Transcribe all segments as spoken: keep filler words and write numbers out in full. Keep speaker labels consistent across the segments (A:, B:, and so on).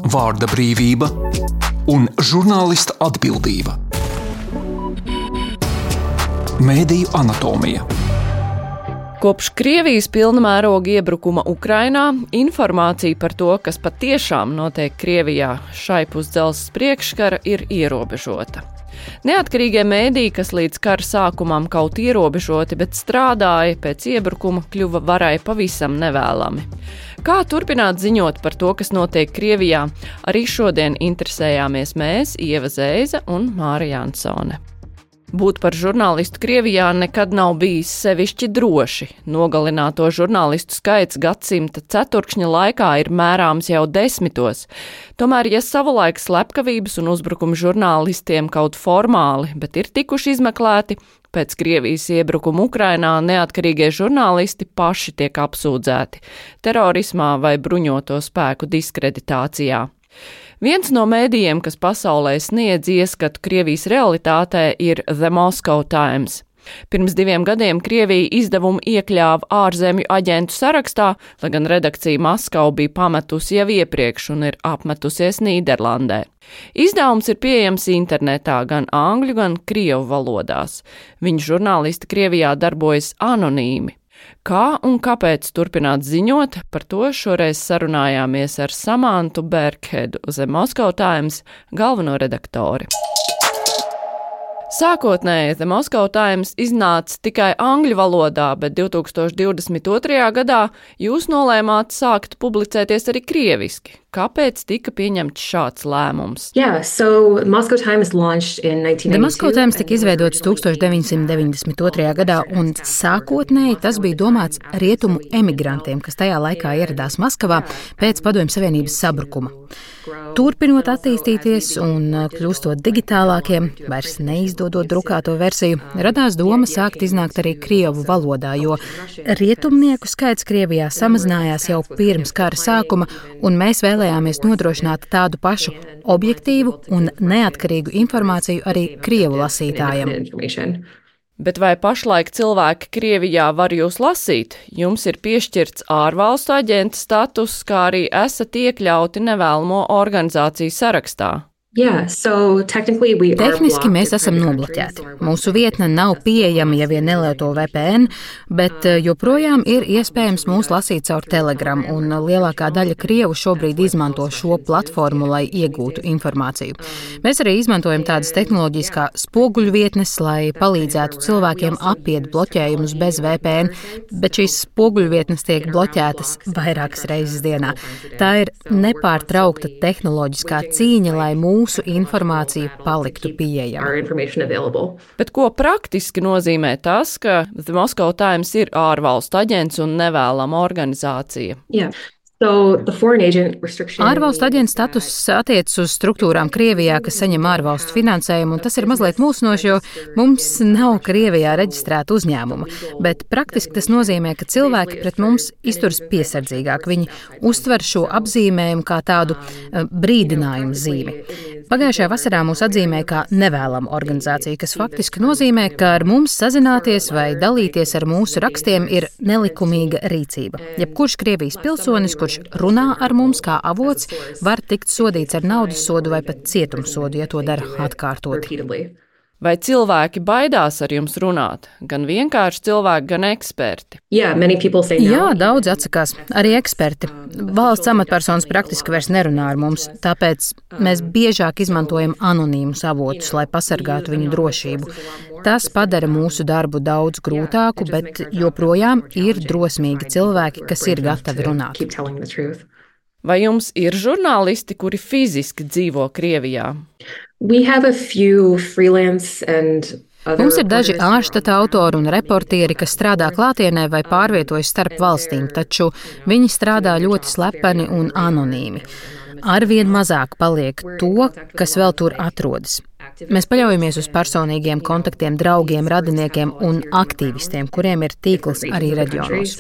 A: vārda brīvība un žurnālista atbildība. Mēdīju anatomija.
B: Kopš Krievijas pilna mēroga iebrukuma Ukrainā informācija par to, kas patiešām notiek Krievijā šaipus dzelzs priekškara, ir ierobežota. Neatkarīgie mēdīji, kas līdz kara sākumam kaut ierobežoti, bet strādāja pēc iebrukuma, kļuva varai pavisam nevēlami. Kā turpināt ziņot par to, kas notiek Krievijā, arī šodien interesējāmies mēs, Ieva Zēza un Māra Jansone. Būt par žurnālistu Krievijā nekad nav bijis sevišķi droši. Nogalināto žurnālistu skaits gadsimta ceturkšņa laikā ir mērāms jau desmitos. Tomēr, ja savulaik slepkavības un uzbrukumi žurnālistiem kaut formāli, bet ir tikuši izmeklēti, pēc Krievijas iebrukuma Ukrainā neatkarīgie žurnālisti paši tiek apsūdzēti terorismā vai bruņoto spēku diskreditācijā. Viens no mēdījiem, kas pasaulē sniedz ieskatu Krievijas realitātē, ir The Moscow Times. Pirms diviem gadiem Krievija izdevumu iekļāva ārzemju aģentu sarakstā, lai gan redakcija Maskava bija pametusi jau iepriekš un ir apmetusies Nīderlandē. Izdevums ir pieejams internetā gan angļu, gan krievu valodās. Viņu žurnālisti Krievijā darbojas anonīmi. Kā un kāpēc turpināt ziņot, par to šoreiz sarunājāmies ar Samantu Berkhedu, The Moscow Times galveno redaktori. Sākotnēji The Moscow Times iznāca tikai angļu valodā, bet divi tūkstoši divdesmit otrajā gadā jūs nolēmāt sākt publicēties arī krieviski. Kāpēc tika pieņemts šāds lēmums?
C: Yeah, so Moscow Times launched in nineteen ninety-two.
D: The Moscow Times tika izveidots tūkstoš deviņsimt deviņdesmit otrajā gadā, un sākotnēji tas bija domāts rietumu emigrantiem, kas tajā laikā ieradās Maskavā pēc Padomju Savienības sabrukuma. Turpinot attīstīties un kļūstot digitālākiem, vairs neizdodot drukāto versiju, radās doma sākt iznākt arī krievu valodā, jo rietumnieku skaits Krievijā samazinājās jau pirms kara sākuma, un mēs vēlējāmies nodrošināt tādu pašu objektīvu un neatkarīgu informāciju arī krievu lasītājiem.
B: Bet vai pašlaik cilvēki Krievijā var jūs lasīt? Jums ir piešķirts ārvalstu aģenta status, kā arī esat iekļauti nevēlamo organizāciju sarakstā.
C: Yeah, so technically we are
D: Tehniski mēs esam nobloķēti. Mūsu vietne nav pieejama, ja vien nelieto V P N, bet joprojām ir iespējams mūs lasīt caur Telegram, un lielākā daļa krievu šobrīd izmanto šo platformu, lai iegūtu informāciju. Mēs arī izmantojam tādas tehnoloģijas kā spoguļvietnes, lai palīdzētu cilvēkiem apiet bloķējumus bez V P N, bet šīs spoguļvietnes tiek bloķētas vairākas reizes dienā. Tā ir nepārtraukta tehnoloģiskā cīņa, lai mūsu Mūsu informācija paliktu pieejama.
B: Bet ko praktiski nozīmē tas, ka The Moscow Times ir ārvalstu aģents un nevēlama organizācija?
C: Yeah. So the foreign agent restriction.
D: Ārvalstu aģenta status attiecas uz struktūrām Krievijā, kas saņem ārvalstu finansējumu, un tas ir mazliet mulsinoši, jo mums nav Krievijā reģistrēta uzņēmuma. Bet praktiski tas nozīmē, ka cilvēki pret mums izturas piesardzīgāk. Viņi uztver šo apzīmējumu kā tādu uh, brīdinājumu zīmi. Pagājušajā vasarā mūs atzīmēja kā nevēlama organizācija, kas faktiski nozīmē, ka ar mums sazināties vai dalīties ar mūsu rakstiem ir nelikumīga rīcība. Jebkurš Krievijas pilsonis, kurš runā ar mums kā avots, var tikt sodīts ar naudas sodu vai pat cietumsodu, ja to dara atkārtoti.
B: Vai cilvēki baidās ar jums runāt? Gan vienkārši cilvēki, gan eksperti?
C: Yeah, many people say no.
D: Jā, daudz atsakās. Arī eksperti. Valsts amatpersonas praktiski vairs nerunā ar mums, tāpēc mēs biežāk izmantojam anonīmus avotus, lai pasargātu viņu drošību. Tas padara mūsu darbu daudz grūtāku, bet joprojām ir drosmīgi cilvēki, kas ir gatavi runāt.
B: Vai jums ir žurnālisti, kuri fiziski dzīvo Krievijā?
C: We have a few freelance and
D: Mums ir daži ārštata autori un reportieri, kas strādā klātienē vai pārvietojas starp valstīm, taču viņi strādā ļoti slepeni un anonīmi. Arvien mazāk paliek to, kas vēl tur atrodas. Mēs paļaujamies uz personīgiem kontaktiem, draugiem, radiniekiem un aktīvistiem, kuriem ir tīkls arī reģionos.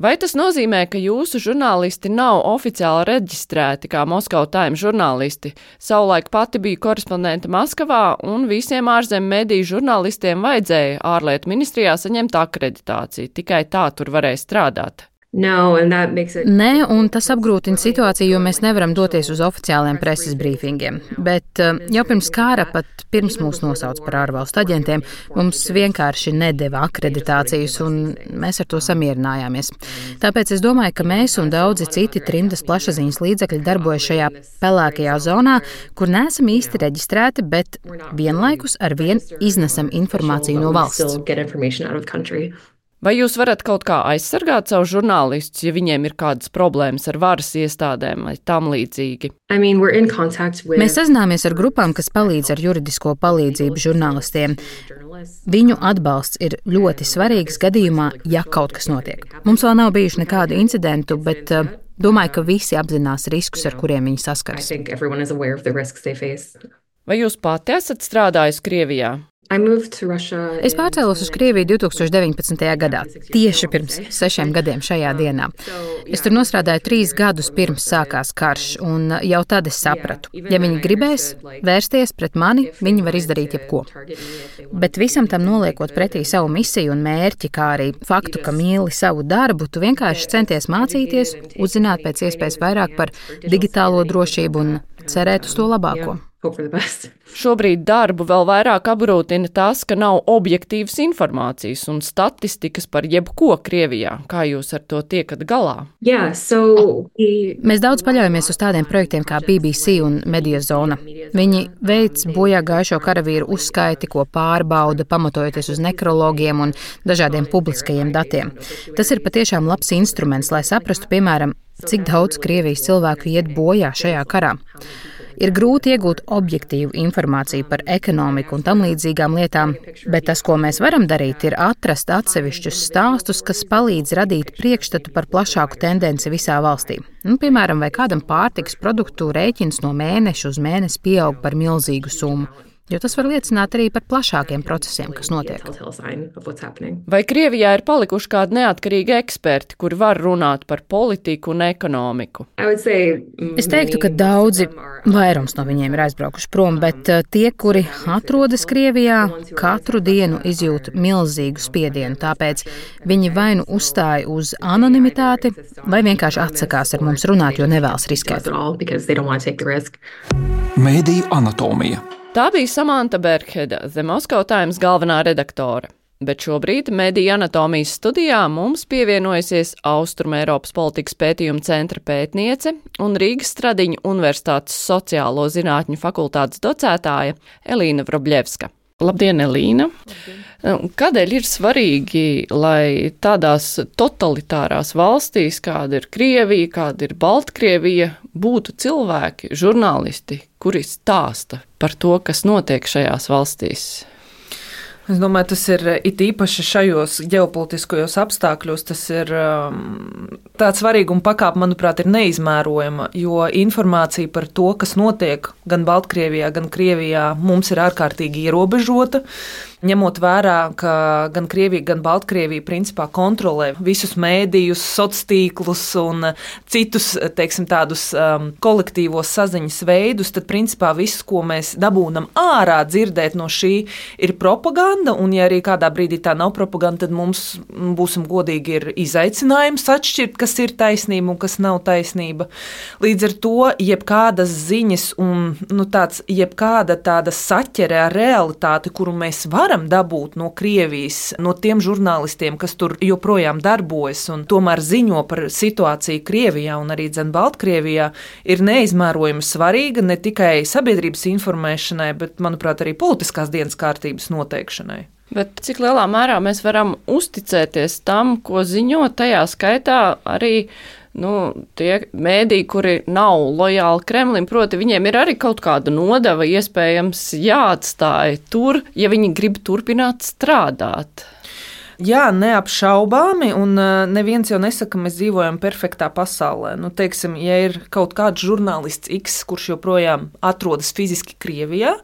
B: Vai tas nozīmē, ka jūsu žurnālisti nav oficiāli reģistrēti kā Moscow Times žurnālisti? Savulaik pati biju korespondente Maskavā, un visiem ārzemju mediju žurnālistiem vajadzēja ārlietu ministrijā saņemt akreditāciju. Tikai tā tur varēja strādāt.
C: No, and that makes it...
D: Nē, un tas apgrūtina situāciju, jo mēs nevaram doties uz oficiāliem preses brīfingiem. Bet jau pirms kara, pat pirms mūs nosauca par ārvalstu aģentiem, mums vienkārši nedeva akreditācijas, un mēs ar to samierinājāmies. Tāpēc es domāju, ka mēs un daudzi citi trimdas plašsaziņas līdzekļi darbojas šajā pelēkajā zonā, kur neesam īsti reģistrēti, bet vienlaikus ar vien iznesam informāciju no valsts.
B: Vai jūs varat kaut kā aizsargāt savu žurnālistus, ja viņiem ir kādas problēmas ar varas iestādēm vai tam līdzīgi?
C: I mean, we're in contact with...
D: Mēs sazināmies ar grupām, kas palīdz ar juridisko palīdzību žurnālistiem. Viņu atbalsts ir ļoti svarīgs gadījumā, ja kaut kas notiek. Mums vēl nav bijuši nekādu incidentu, bet uh, domāju, ka visi apzinās riskus, ar kuriem viņi saskaras.
B: Vai jūs pati esat strādājusi Krievijā?
D: Es pārcēlos uz Krieviju divi tūkstoši deviņpadsmitajā gadā, tieši pirms sešiem gadiem šajā dienā. Es tur nostrādāju trīs gadus pirms sākās karš, un jau tad es sapratu, ja viņi gribēs vērsties pret mani, viņi var izdarīt jebko. Bet visam tam noliekot pretī savu misiju un mērķi, kā arī faktu, ka mīli savu darbu, tu vienkārši centies mācīties, uzzināt pēc iespējas vairāk par digitālo drošību un cerēt uz to labāko.
B: Šobrīd darbu vēl vairāk apgrūtina tas, ka nav objektīvas informācijas un statistikas par jebko Krievijā. Kā jūs ar to tiekat galā?
C: Yeah, so we...
D: Mēs daudz paļaujamies uz tādiem projektiem kā B B C un Mediazona. Viņi veic bojā gājušo karavīru uzskaiti, ko pārbauda, pamatojoties uz nekrologiem un dažādiem publiskajiem datiem. Tas ir patiešām labs instruments, lai saprastu, piemēram, cik daudz Krievijas cilvēku iet bojā šajā karā. Ir grūti iegūt objektīvu informāciju par ekonomiku un tam līdzīgām lietām, bet tas, ko mēs varam darīt, ir atrast atsevišķus stāstus, kas palīdz radīt priekšstatu par plašāku tendenci visā valstī. Nu, piemēram, vai kādam pārtikas produktu rēķins no mēneša uz mēnesi pieaug par milzīgu summu. Jo tas var liecināt arī par plašākiem procesiem, kas notiek.
B: Vai Krievijā ir palikuši kādi neatkarīgi eksperti, kuri var runāt par politiku un ekonomiku?
D: Es teiktu, ka daudzi, vairums no viņiem ir aizbraukuši prom, bet tie, kuri atrodas Krievijā, katru dienu izjūt milzīgu spiedienu, tāpēc viņi vai nu uzstāja uz anonimitāti, vai vienkārši atsakās ar mums runāt, jo nevēlas riskēt.
A: Mēdīju anatomija.
B: Tā bija Samanta Bergheda, The Moscow Times galvenā redaktore. Bet šobrīd Mēdīju anatomijas studijā mums pievienojusies Austrumēropas politikas pētījuma centra pētniece un Rīgas Stradiņu Universitātes sociālo zinātņu fakultātes docētāja Elīna Vrobļevska. Labdien, Elīna! Labdien. Kādēļ ir svarīgi, lai tādās totalitārās valstīs, kāda ir Krievija, kāda ir Baltkrievija, būtu cilvēki, žurnālisti, kuri stāsta par to, kas notiek šajās valstīs?
E: Es domāju, tas ir it īpaši šajos ģeopolitiskajos apstākļos, tas ir um, tāds svarīguma pakāpe, manuprāt, ir neizmērojama, jo informācija par to, kas notiek gan Baltkrievijā, gan Krievijā, mums ir ārkārtīgi ierobežota. Ņemot vērā, ka gan Krievija, gan Baltkrievija principā kontrolē visus mēdījus, sociālos tīklus un citus, teiksim, tādus um, kolektīvos saziņas veidus, tad principā viss, ko mēs dabūnam ārā dzirdēt no šī, ir propaganda, un ja arī kādā brīdī tā nav propaganda, tad mums, būsim godīgi, ir izaicinājums atšķirt, kas ir taisnība un kas nav taisnība. Līdz ar to jebkādas ziņas un nu, tāds, jebkāda tāda saķere ar realitāti, kuru mēs varam dabūt no Krievijas, no tiem žurnālistiem, kas tur joprojām darbojas un tomēr ziņo par situāciju Krievijā un arī dzen Baltkrievijā, ir neizmērojami svarīga ne tikai sabiedrības informēšanai, bet, manuprāt, arī politiskās dienas kārtības noteikšanai.
B: Bet cik lielā mērā mēs varam uzticēties tam, ko ziņo, tajā skaitā arī Nu, tie mēdī, kuri nav lojāli Kremlim, proti viņiem ir arī kaut kāda nodeva iespējams jāatstāj tur, ja viņi grib turpināt strādāt.
E: Jā, neapšaubāmi, un neviens jau nesaka, ka mēs dzīvojam perfektā pasaulē. Nu, teiksim, ja ir kaut kāds žurnālists X, kurš joprojām atrodas fiziski Krievijā,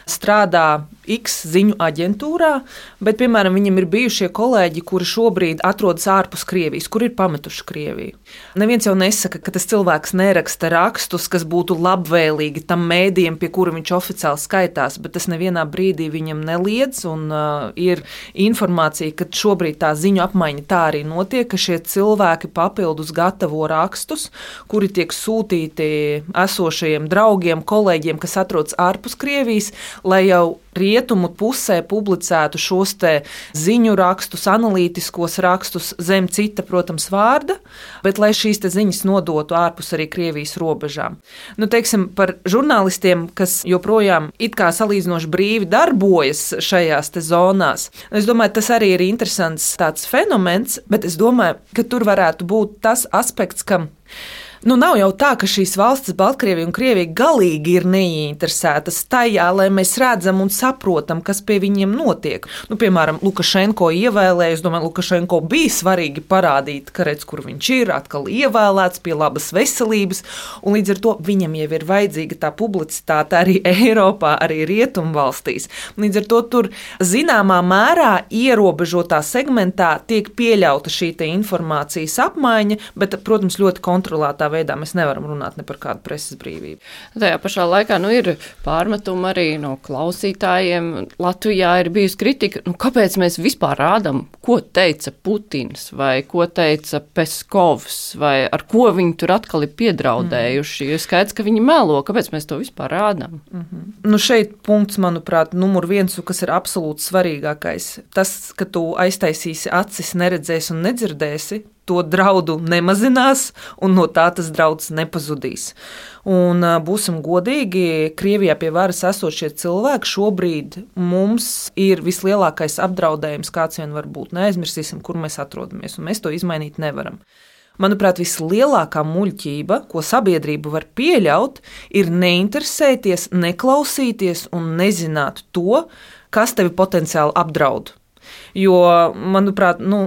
E: strādā X ziņu aģentūrā, bet, piemēram, viņam ir bijušie kolēģi, kuri šobrīd atrodas ārpus Krievijas, kur ir pametuši Krieviju. Neviens jau nesaka, ka tas cilvēks neraksta rakstus, kas būtu labvēlīgi tam mēdījam, pie kura viņš oficiāli skaitās, bet tas nevienā brīdī viņam neliedz, un uh, ir informācija, ka bet šobrīd tā ziņu apmaiņa tā arī notiek, ka šie cilvēki papildus gatavo rakstus, kuri tiek sūtīti esošajiem draugiem, kolēģiem, kas atrodas ārpus Krievijas, lai jau rietumu pusē publicētu šos te ziņu rakstus, analītiskos rakstus zem cita, protams, vārda, bet lai šīs te ziņas nodotu ārpus arī Krievijas robežām. Nu, teiksim, par žurnālistiem, kas joprojām it kā salīdzinoši brīvi darbojas šajās te zonās. Es domāju, tas arī ir interesants tāds fenomens, bet es domāju, ka tur varētu būt tas aspekts, ka nu, nav jau tā, ka šīs valstis, Baltkrievija un Krievija, galīgi ir neinteresētas tajā, lai mēs redzam un saprotam, kas pie viņiem notiek. Nu, piemēram, Lukašenko ievēlēja, es domāju, Lukašenko bija svarīgi parādīt, ka redz, kur viņš ir, atkal ievēlēts pie labas veselības, un līdz ar to viņam jau ir vajadzīga tā publicitāte arī Eiropā, arī Rietumvalstīs. Līdz ar to tur zināmā mērā ierobežotā segmentā tiek pieļauta šī te informācijas apmaiņa, bet, protams, ļoti kontrolētā veidā mēs nevaram runāt ne par kādu preses brīvību.
B: Tajā pašā laikā nu, ir pārmetumi arī no klausītājiem. Latvijā ir bijusi kritika, nu, kāpēc mēs vispār rādām, ko teica Putins vai ko teica Peskovs vai ar ko viņi tur atkal ir piedraudējuši. Jo skaidrs, ka viņi melo, kāpēc mēs to vispār rādām.
E: Mm-hmm. Nu, šeit punkts, manuprāt, numur viens, kas ir absolūti svarīgākais. Tas, ka tu aiztaisīsi acis, neredzēsi un nedzirdēsi, to draudu nemazinās, un no tā tas drauds nepazudīs. Un būsim godīgi, Krievijā pie varas esošie cilvēki šobrīd mums ir vislielākais apdraudējums, kāds vien var būt. Neaizmirsīsim, kur mēs atrodamies, un mēs to izmainīt nevaram. Manuprāt, vislielākā muļķība, ko sabiedrība var pieļaut, ir neinteresēties, neklausīties un nezināt to, kas tevi potenciāli apdraud. Jo, manuprāt, nu,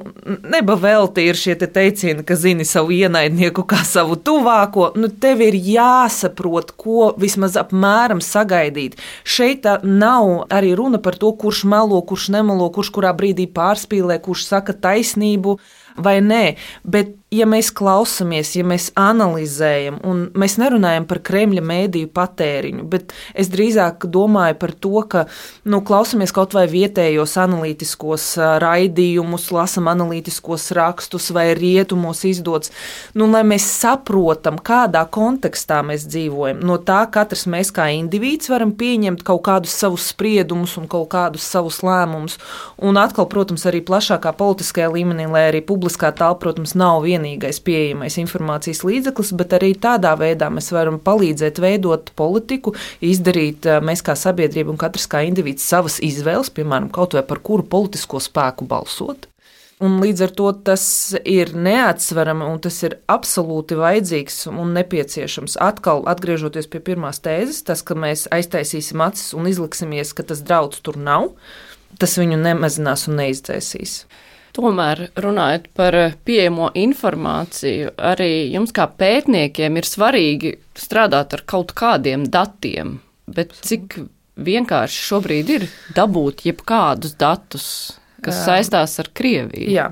E: neba velti ir šie te teicieni, ka zini savu ienaidnieku kā savu tuvāko. Nu, tev ir jāsaprot, ko vismaz apmēram sagaidīt. Šeit nav arī runa par to, kurš melo, kurš nemelo, kurš kurā brīdī pārspīlē, kurš saka taisnību vai nē. Bet, ja mēs klausamies, ja mēs analizējam, un mēs nerunājam par Kremļa mēdīju patēriņu, bet es drīzāk domāju par to, ka nu, klausamies kaut vai vietējos analītiskos raidījumus, lasam analītiskos rakstus vai rietumos izdots, nu, lai mēs saprotam, kādā kontekstā mēs dzīvojam. No tā katrs mēs kā indivīds varam pieņemt kaut kādus savus spriedumus un kaut kādus savus lēmumus. Un atkal, protams, arī plašākā politiskajā līmenī, lai arī publiskā telpa, protams, nav vienīgais pieejamais informācijas līdzeklis, bet arī tādā veidā mēs varam palīdzēt veidot politiku, izdarīt mēs kā sabiedrība un katrs kā indivīds savas izvēles, piemēram, kaut vai par kuru politisko spēku balsot. Un līdz ar to tas ir neatsverami un tas ir absolūti vajadzīgs un nepieciešams. Atkal atgriežoties pie pirmās tēzes, tas, ka mēs aiztaisīsim acis un izliksimies, ka tas drauds tur nav, tas viņu nemazinās un neizdzēsīs.
B: Tomēr, runājot par pieejamo informāciju, arī jums kā pētniekiem ir svarīgi strādāt ar kaut kādiem datiem, bet cik vienkārši šobrīd ir dabūt jebkādus datus, kas saistās ar Krieviju?
E: Jā.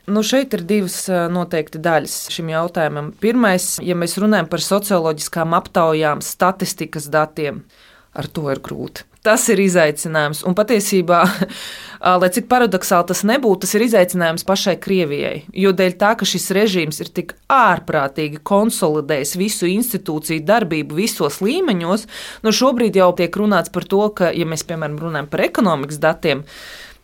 E: Nu, šeit ir divas noteikti daļas šim jautājumam. Pirmais, ja mēs runājam par socioloģiskām aptaujām, statistikas datiem, ar to ir grūti. Tas ir izaicinājums, un patiesībā, lai cik paradoksāli tas nebūtu, tas ir izaicinājums pašai Krievijai, jo dēļ tā, ka šis režīms ir tik ārprātīgi konsolidējis visu institūciju darbību visos līmeņos, nu šobrīd jau tiek runāts par to, ka, ja mēs, piemēram, runājam par ekonomikas datiem,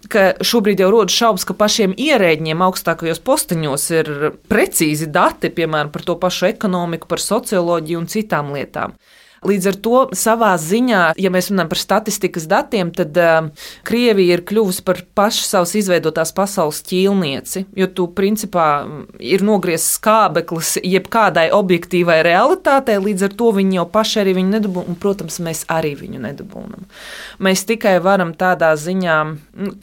E: ka šobrīd jau rodas šaubas, ka pašiem ierēģiem augstākajos posteņos ir precīzi dati, piemēram, par to pašu ekonomiku, par socioloģiju un citām lietām. Līdz ar to savā ziņā, ja mēs runājam par statistikas datiem, tad uh, Krievija ir kļuvusi par pašu savas izveidotās pasaules ķīlnieci, jo tu principā ir nogriezts skābeklis jebkādai objektīvai realitātei, līdz ar to viņi jau paši arī viņu nedabūna, un, protams, mēs arī viņu nedabūnam. Mēs tikai varam tādā ziņā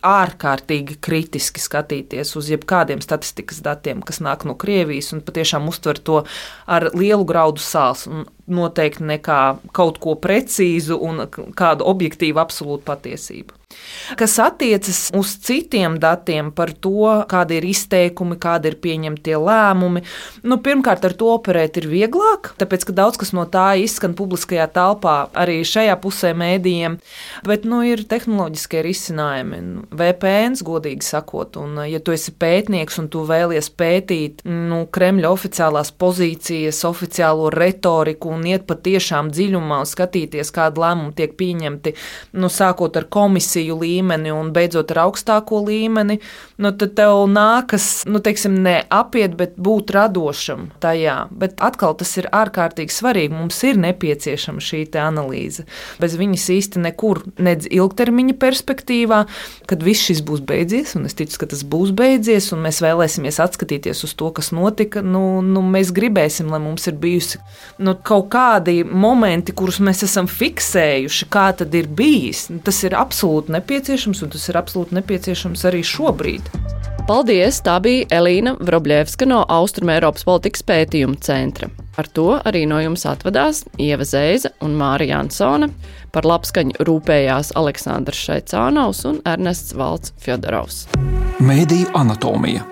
E: ārkārtīgi kritiski skatīties uz jebkādiem statistikas datiem, kas nāk no Krievijas, un patiešām uztver to ar lielu graudu sāls, un noteikti nekā kaut ko precīzu un kādu objektīvu absolūtu patiesību. Kas attiecas uz citiem datiem par to, kādi ir izteikumi, kādi ir pieņemtie lēmumi, nu, pirmkārt ar to operēt ir vieglāk, tāpēc, ka daudz kas no tā izskan publiskajā telpā arī šajā pusē mēdījiem, bet, nu, ir tehnoloģiskie risinājumi, V P Ns, godīgi sakot, un ja tu esi pētnieks un tu vēlies pētīt, nu, Kremļa oficiālās pozīcijas, oficiālo retoriku un iet patiešām dziļumā un skatīties, kāda lēmuma tiek pieņemti, nu, sākot ar komisiju līmeni un beidzot ar augstāko līmeni, nu, tad tev nākas, nu, teiksim, ne apiet, bet būt radošam tajā. Bet atkal tas ir ārkārtīgi svarīgi. Mums ir nepieciešama šī te analīze. Bez viņas īsti nekur, nedz ilgtermiņa perspektīvā, kad viss šis būs beidzies, un es ticu, ka tas būs beidzies, un mēs vēlēsimies atskatīties uz to, kas notika, nu, nu mēs gribēsim, lai mums ir bijusi, nu, kaut kādi momenti, kurus mēs esam fiksējuši, kā tad ir bijis. Tas ir absolūti nepieciešams, un tas ir absolūti nepieciešams arī šobrīd.
B: Paldies! Tā bija Elīna Vrobļevska no Austrumēropas politikas pētījuma centra. Ar to arī no jums atvadās Ieva Zeiza un Māra Jansone. Par labskaņu rūpējās Aleksandrs Šaicānovs un Ernests Valds Fjodorovs.
A: Mēdīju anatomija.